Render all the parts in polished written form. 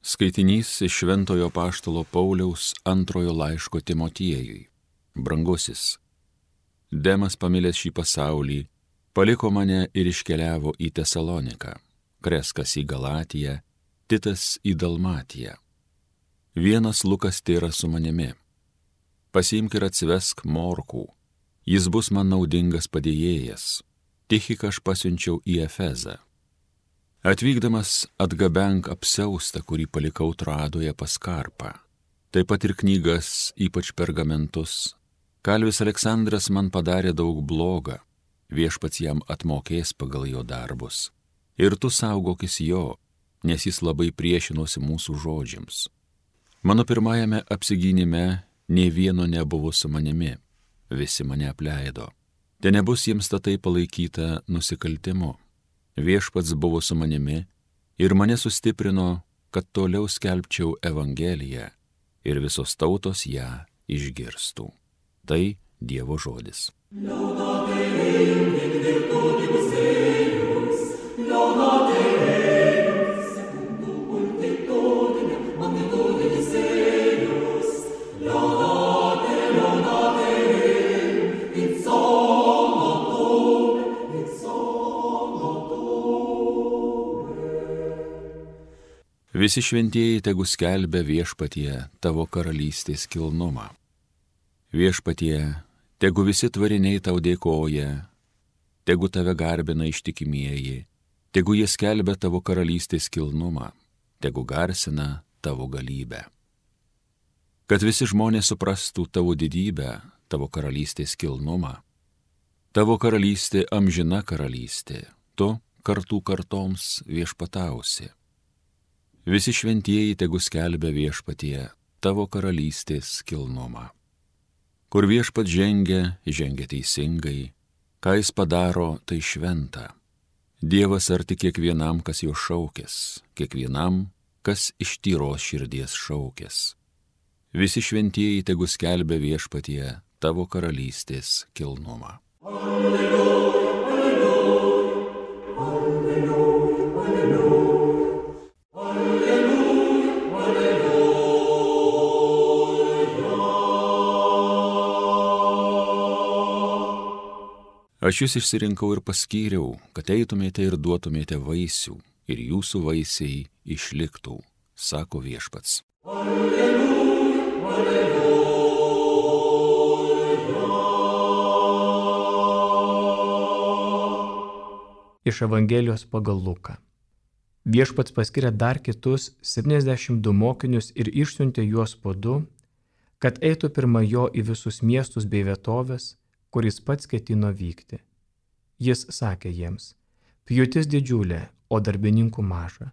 Skaitinys iš Šventojo Apaštalo Pauliaus antrojo laiško Timotiejui. Brangusis, Demas pamilęs šį pasaulį, paliko mane ir iškeliavo į Tesaloniką, Kreskas į Galatiją, Titas į Dalmatiją. Vienas Lukas tėra su manimi. Pasiimk ir atsivesk Morkų, jis bus man naudingas padėjėjas. Tichiką aš pasiunčiau į Efezą. Atvykdamas atgabenk apsiaustą, kurį palikau Troadoje pas Karpą. Taip pat ir knygas, ypač pergamentus. Kalvis Aleksandras man padarė daug bloga, viešpats jam atmokės pagal jo darbus. Ir tu saugokis jo, nes jis labai priešinosi mūsų žodžiams. Mano pirmajame apsigynime nė vieno nebuvo su manimi, visi mane apleido. Te nebus jiems tatai palaikyta nusikaltimu. Viešpats buvo su manimi ir mane sustiprino, kad toliau skelbčiau Evangeliją ir visos tautos ją išgirstų. Tai Dievo žodis. Visi šventieji tegu skelbia viešpatie tavo karalystės kilnumą. Viešpatie, tegu visi tvariniai tau dėkoja, tegu tave garbina ištikimieji, tegu jie skelbia tavo karalystės kilnumą, tegu garsina tavo galybę. Kad visi žmonės suprastų tavo didybę, tavo karalystės kilnumą. Tavo karalystė amžina karalystė, tu kartų kartoms viešpatausi. Visi šventieji tegu skelbia viešpatie tavo karalystės kilnumą. Kur viešpat žengia teisingai, ką jis padaro, tai šventa. Dievas arti kiekvienam, kas jo šaukės, kiekvienam, kas iš tyros širdies šaukės. Visi šventieji tegu skelbia viešpatie tavo karalystės kilnumą. Alleluja, alleluja, alleluja, alleluja. Aš jūs išsirinkau ir paskyriau, kad eitumėte ir duotumėte vaisių, ir jūsų vaisiai išliktų, sako viešpats. Alleluja, alleluja. Iš Evangelijos pagal Luką. Viešpats paskiria dar kitus 72 mokinius ir išsiuntė juos po 2, kad eitų pirma jo į visus miestus bei vietovės, kuris pats ketino vykti. Jis sakė jiems, pjūtis didžiulė, o darbininkų maža.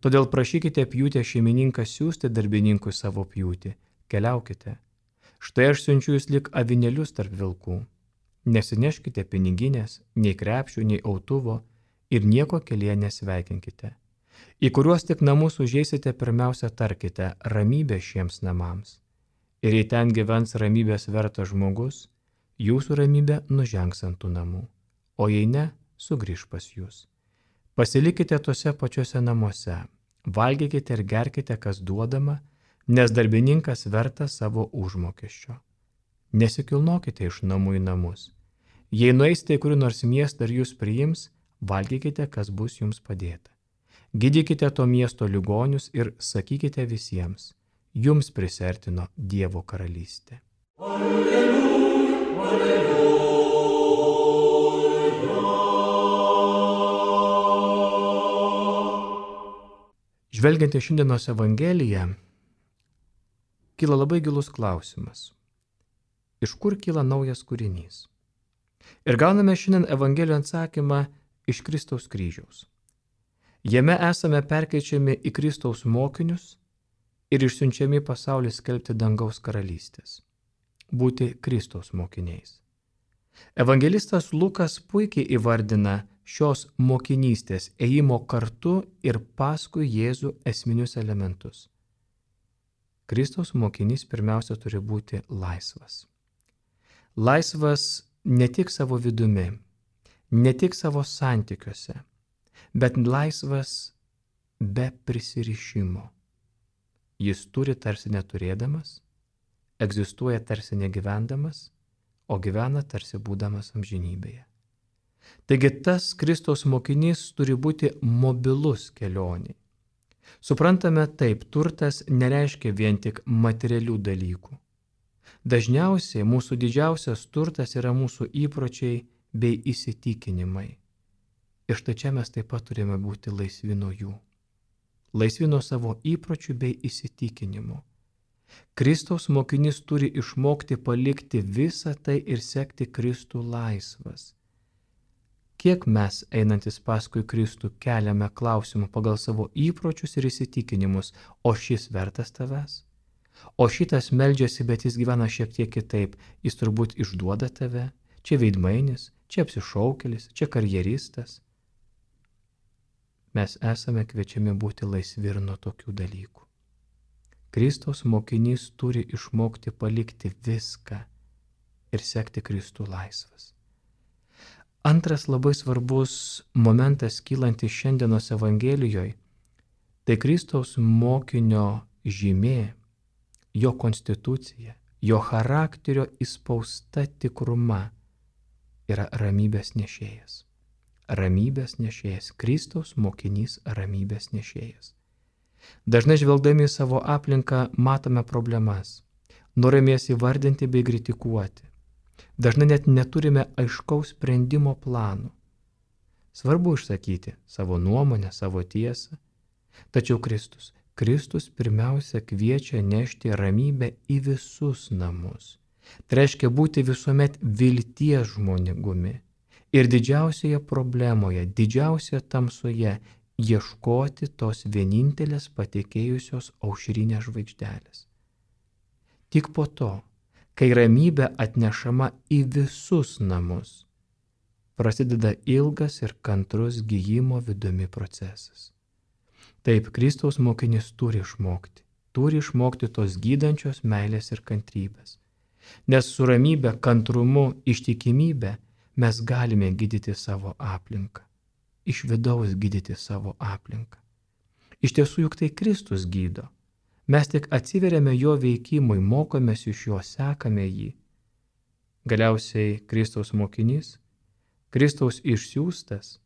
Todėl prašykite pjūtę šeimininką siųsti darbininkui savo pjūtį, keliaukite. Štai aš siunčiu jūs lyg avinėlius tarp vilkų. Nesineškite piniginės, nei krepšių, nei autuvo ir nieko kelyje nesveikinkite. Į kuriuos tik namus užeisite, pirmiausia tarkite ramybę šiems namams. Ir jei ten gyvens ramybės vertas žmogus, jūsų ramybė nužengs ant tų namų, o jei ne, sugrįš pas jūs. Pasilikite tose pačiuose namuose, valgykite ir gerkite, kas duodama, nes darbininkas vertas savo užmokesčio. Nesikilnokite iš namų į namus. Jei nueisite į kurį nors miestą ir jūs priims, valgykite, kas bus jums padėta. Gydykite to miesto ligonius ir sakykite visiems, jums prisertino Dievo karalystė. Alleluja. Žvelgiant į šiandienos Evangeliją, kyla labai gilus klausimas. Iš kur kyla naujas kūrinys? Ir gauname šiandien Evangelijos atsakymą iš Kristaus kryžiaus. Jame esame perkeičiami į Kristaus mokinius ir išsiunčiami į pasaulį skelbti dangaus karalystės. Būti Kristaus mokiniais. Evangelistas Lukas puikiai įvardina šios mokinystės ėjimo kartu ir paskui Jėzų esminius elementus. Kristaus mokinys pirmiausia turi būti laisvas. Laisvas ne tik savo vidumi, ne tik savo santykiuose, bet laisvas be prisirišimo, Jis turi tarsi neturėdamas, egzistuoja tarsi negyvendamas, o gyvena tarsi būdamas amžinybėje. Taigi tas Kristaus mokinys turi būti mobilus kelioniai. Suprantame taip, turtas nereiškia vien tik materialių dalykų. Dažniausiai mūsų didžiausias turtas yra mūsų įpročiai bei įsitikinimai. Ir štai čia mes taip pat turime būti laisvi nuo jų. Laisvi nuo savo įpročių bei įsitikinimų. Kristaus mokinys turi išmokti palikti visą tai ir sekti Kristų laisvas. Kiek mes, einantis paskui Kristų, keliame klausimų pagal savo įpročius ir įsitikinimus, o šis vertas tavęs? O šitas meldžiasi, bet jis gyvena šiek tiek kitaip, jis turbūt išduoda tave, čia veidmainis, čia apsišaukėlis, čia karjeristas. Mes esame kviečiami būti laisvi ir nuo tokių dalykų. Kristaus mokinys turi išmokti palikti viską ir sekti Kristų laisvas. Antras labai svarbus momentas kylantis šiandienos Evangelijoje, tai Kristaus mokinio žymė, jo konstitucija, jo charakterio įspausta tikruma yra ramybės nešėjas. Ramybės nešėjas, Kristaus mokinys ramybės nešėjas. Dažnai žvelgdami į savo aplinką matome problemas, norime jas įvardinti bei kritikuoti. Dažnai net neturime aiškaus sprendimo plano. Svarbu išsakyti savo nuomonę, savo tiesą. Tačiau Kristus pirmiausia kviečia nešti ramybę į visus namus. Tai reiškia būti visuomet vilties žmogumi. Ir didžiausioje problemoje, didžiausioje tamsoje ieškoti tos vienintelės patekėjusios aušrinės žvaigždelės. Tik po to, kai ramybė atnešama į visus namus, prasideda ilgas ir kantrus gijimo vidumi procesas. Taip, Kristaus mokinys turi išmokti tos gydančios meilės ir kantrybės. Nes su ramybė, kantrumu, ištikimybė mes galime gydyti savo aplinką. Iš vidaus gydyti savo aplinką. Iš tiesų juk tai Kristus gydo. Mes tik atsiveriame jo veikimui, mokomės iš jo, sekame jį. Galiausiai Kristaus mokinys, Kristaus išsiųstas,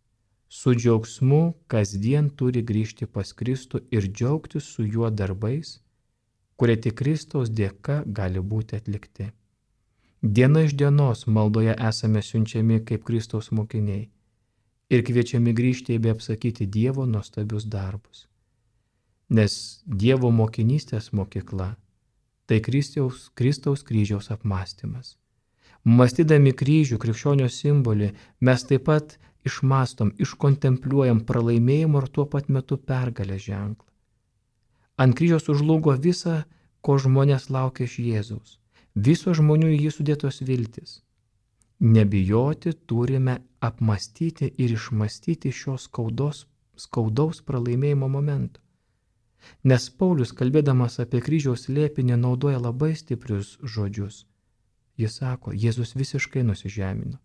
su džiaugsmu kasdien turi grįžti pas Kristų ir džiaugtis su juo darbais, kurie tik Kristaus dėka gali būti atlikti. Diena iš dienos maldoje esame siunčiami kaip Kristaus mokiniai ir kviečiami grįžti bei apsakyti Dievo nuostabius darbus. Nes Dievo mokinystės mokykla tai Kristaus kryžiaus apmąstymas. Mąstydami kryžių, krikščionio simbolį, mes taip pat išmąstom, iškontempliuojam pralaimėjimo ir tuo pat metu pergalės ženklą. Ant kryžiaus užlūgo visa, ko žmonės laukia iš Jėzaus. Viso žmonių į jį sudėtos viltis. Nebijoti turime apmąstyti ir išmąstyti šios skaudaus pralaimėjimo momento. Nes Paulius, kalbėdamas apie kryžiaus slėpinį, naudoja labai stiprius žodžius. Jis sako, Jėzus visiškai nusižemino,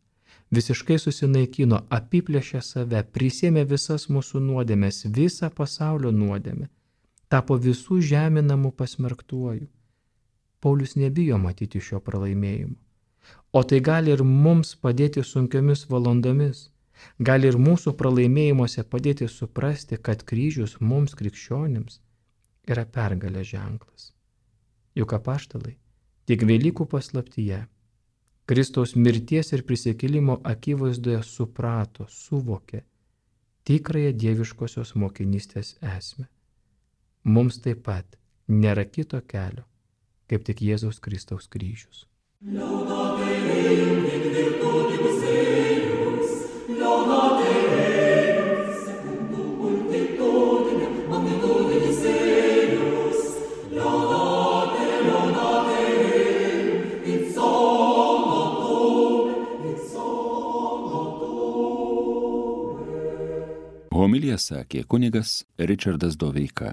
visiškai susinaikino, apiplėšė save, prisėmė visas mūsų nuodėmes, visą pasaulio nuodėmę, tapo visų žeminamų pasmerktuoju. Paulius nebijo matyti šio pralaimėjimo. O tai gali ir mums padėti sunkiomis valandomis, gali ir mūsų pralaimėjimuose padėti suprasti, kad kryžius mums krikščionims yra pergalės ženklas. Juk apaštalai tik Velykų paslaptyje, Kristaus mirties ir prisikėlimo akivaizdoje suprato, suvokė tikrąją dieviškosios mokinystės esmę. Mums taip pat nėra kito kelio, kaip tik Jėzaus Kristaus kryžius. Homiliją sakė kunigas Ričardas Doveika.